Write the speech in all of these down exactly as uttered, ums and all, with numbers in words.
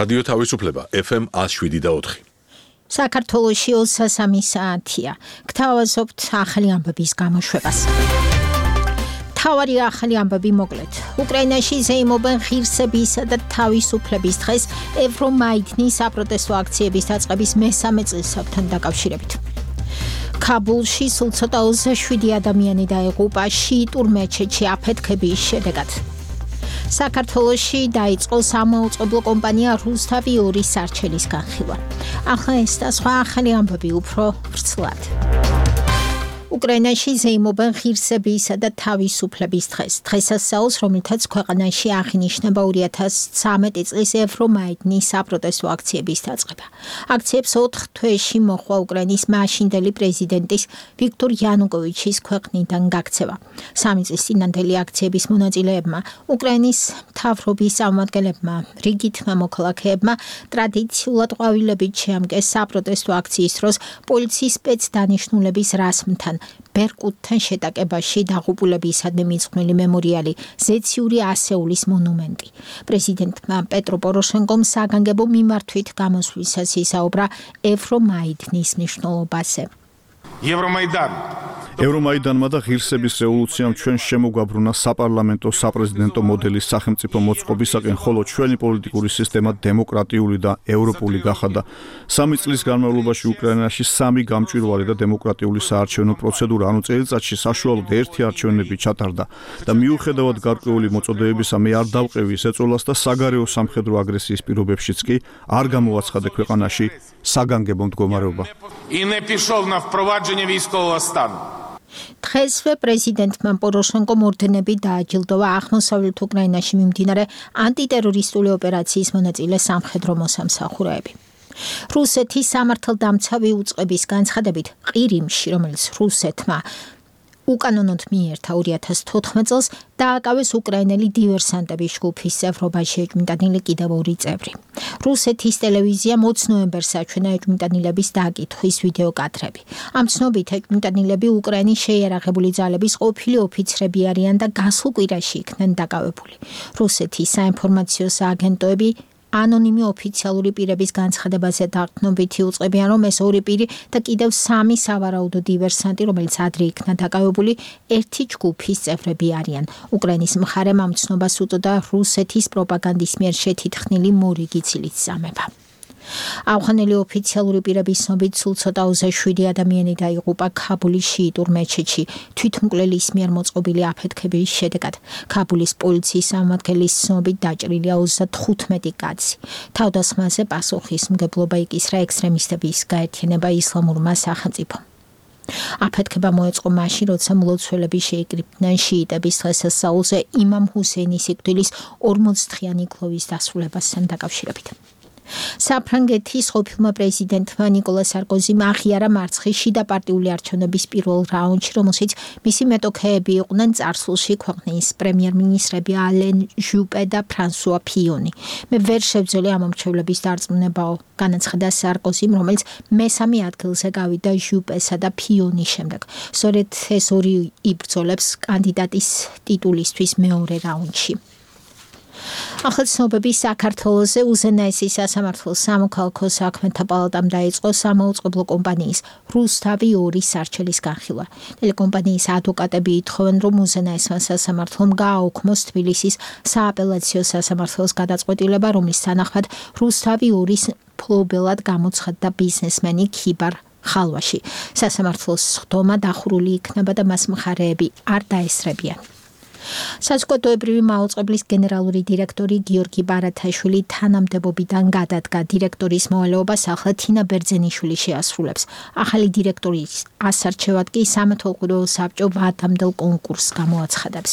რადიო თავისუფლება ეფ ემ ათს შვიდი და ოთხი. საქართველოში ოცდასამი საათია. გთავაზობთ ახალი ამბების გამოშვებას. თავარი ახალი ამბები მოკლედ. უკრაინაში ზეიმობენ ღირსებისა და თავისუფლების დღეს ევრომაიდნის საპროტესტო აქციების დაწყების მესამე წელსაკვთან დაკავშირებით. ქაბულში სულ ცოტა ოცდაშვიდი ადამიანი დაიღუპა შიიტურ მეჩეთში აფეთქების შედეგად. საქართველოში დაიწყო სამაუწყებლო კომპანია რუსთავი ორი სარჩელის განხილვა. ახლა ეს და სხვა ახალი ამბები უფრო ვრცლად. უკრაინაში ზეიმობენ ღირსებისა და თავისუფლების დღეს. დღესასწაულს, რომელთაც ქვეყანაში აღინიშნება ორი ათას ცხრამეტი წლის ევრომაიდნის საპროტესტო აქციების დაწყება. აქციებს ოთხ თვეში მოჰყვა უკრაინის მაშინდელი პრეზიდენტის ვიქტორ იანუკოვიჩის ქვეყნიდან გაქცევა. სამი წლის წინანდელი აქციების მონაწილეებმა, უკრაინის მთავრობის წარმომადგენლებმა, რიგითმა მოქალაქეებმა ტრადიციულად ყვავილებით შეამკეს საპროტესტო აქციის დროს პოლიციის სპეცდანიშნულების რასმთან. ბერკუტთან შეტაკებაში დაღუპულებისადმი მიძღვნილი მემორიალი, ზეციური ასეულის მონუმენტი. პრეზიდენტმა პეტრო პოროშენკომ საგანგებო მიმართვით გამოსვლისას ისაუბრა ევრომაიდნის მნიშვნელობაზე. ევრომაიდანი ევრომაიდანმა და ღირსების რევოლუციამ ჩვენ შემოგვაბრუნა საპარლამენტო საპრეზიდენტო მოდელის სახელმწიფო მოწყობისაკენ, ხოლო ჩვენი პოლიტიკური სისტემა დემოკრატიული და ევროპული გახადა. სამი წლის განმავლობაში უკრაინაში სამი გამჭვირვალე და დემოკრატიული საარჩევნო პროცედურა, ანუ წელიწადში საშუალოდ ერთი არჩევნები ჩატარდა და მიუხედავად გარკვეული მოწოდებებისა მე არ დავყევი ეს ეწოლას და საგარეო სამხედრო აგრესიის პირობებშიც კი არ გამოაცხადე ქვეყანაში საგანგებო მდგომარეობა. დღესვე პრეზიდენტმა პოროშენკომ ორდენები დააჯილდოვა აღმოსავლეთ უკრაინაში მიმდინარე ანტიტერორისტული ოპერაციის მონაწილე სამხედრო მოსამსახურეები. რუსეთის სამართალდამცავი უწყების განცხადებით, ყირიმში, რომელიც რუსეთმა უკანონოდ მიერთა ორი ათას თოთხმეტ წელს, დააკავეს უკრაინელი დივერსანტების ჯგუფის წევრობაში ეჭვმიტანილი კიდევ ორი წევრი. რუსეთის ტელევიზიამ ოც ნოემბერს აჩვენა ეჭვმიტანილების დაკითხვის ვიდეო კადრები. ამ ცნობით ეჭვმიტანილები უკრაინის შეიარაღებული ძალების ყოფილი ოფიცრები არიან და გასულ კვირაში იქნენ დაკავებული. რუსეთის საინფორმაციო სააგენტოები ანონიმი ოფიციალური პირების განცხადებაზე დაყრდნობითი უწყებიან, რომ ეს ორი პირი და კიდევ სამი სავარაუდო დივერსანტი, რომელიც ადრე იქნა დაკავებული, ერთი ჯგუფის წევრები არიან. უკრაინის მხარემ ამ ცნობას უწოდა რუსეთის პროპაგანდის მიერ შეთითხნილი მორიგი ცილის წამება. ავღანელი ოფიციალური პირების ცნობით სულ ცოტა ოცდაშვიდი ადამიანი დაიღუპა ქაბულის შიიტურ მეჩეთში თვითმკვლელის მიერ მოწყობილი აფეთქების შედეგად. ქაბულის პოლიციის წარმომადგენლის ცნობით დაჭრილია ოცდათხუთმეტი კაცი. თავდასხმაზე პასუხისმგებლობა იკისრა ექსტრემისტების გაერთიანება ისლამურმა სახელმწიფომ. აფეთქება მოეწყო მაშინ, როცა მლოცველები შეიკრიბნენ შიიტების დღესასწაულზე იმამ ჰუსეინის სიკვდილის ორმოცდღიანი გლოვის დასრულებასთან დაკავშირებით. საფრანგეთის ყოფილმა პრეზიდენტმა ნიკოლა სარკოზიმ აღიარა მარცხის შიდა პარტიული არჩევნების პირველ რაუნდში, რომელშიც მისი მეტოქეები იყვნენ წარსულში ქვეყნის პრემიერ-მინისტრები ალენ ჟუპე და ფრანსუა ფიონი. მე ვერ შევძელი ამ ამრჩევლების დარწმუნებაო, განაცხადა სარკოზიმ, რომელიც მესამე ადგილზე გავიდა ჟუპესა და ფიონის შემდეგ. სწორედ ეს ორი იბრძოლებს კანდიდატის ტიტულისთვის მეორე რაუნდში. ახალ ცნობები საქართველოზე უზენაესი სასამართლო სამოქალაქო საქმეთა პალატამ დაიწყო სამაუწყებლო კომპანიის რუსთავი ორი სარჩელის განხილვა. ტელეკომპანიის ადვოკატები ითხოვენ, რომ უზენაესმა სასამართლომ გააუქმოს თბილისის სააპელაციო სასამართლოს გადაწყვეტილება, რომლის თანახმად რუსთავი ორის მფლობელად გამოცხადდა ბიზნესმენი ქიბარ ხალვაში. სასამართლოს სხდომა დახურული იქნება და მას მხარეები არ დაესწრებიან. საზოგადოებრივი მაუწყებლის გენერალური დირექტორი გიორგი ბარათაშვილი თანამდებობიდან გადადგა. დირექტორის მოვალეობას ახლა თინა ბერძენიშვილი შეასრულებს. ახალი დირექტორის ასარჩევად კი სამეთვალყურეო საბჭო ვადამდელ კონკურსს გამოაცხადებს.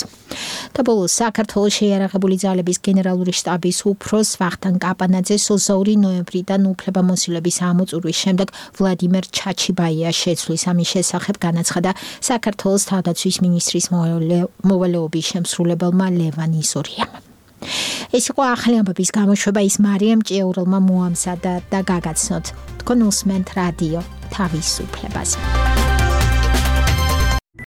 და ბოლოს საქართველოს შეიარაღებული ძალების გენერალური შტაბის უფროს ვახტანგ კაპანაძეს ოცდაორი ნოემბრიდან უფლებამოსილების ამოწურვის შემდეგ ვლადიმერ ჩაჩიბაია შეცვლის. ამის შესახებ განაცხადა საქართველოს თავდაცვის მინისტრის მოვალეობის შემსრულებელმა ლევან იზორიამ. ეს იყო ახალი ამბების გამოშვება, ის მარიამ ჭიაურელმა მოამზადა და გაგაცნოთ. თქვენ უსმენთ რადიო თავისუფლებას.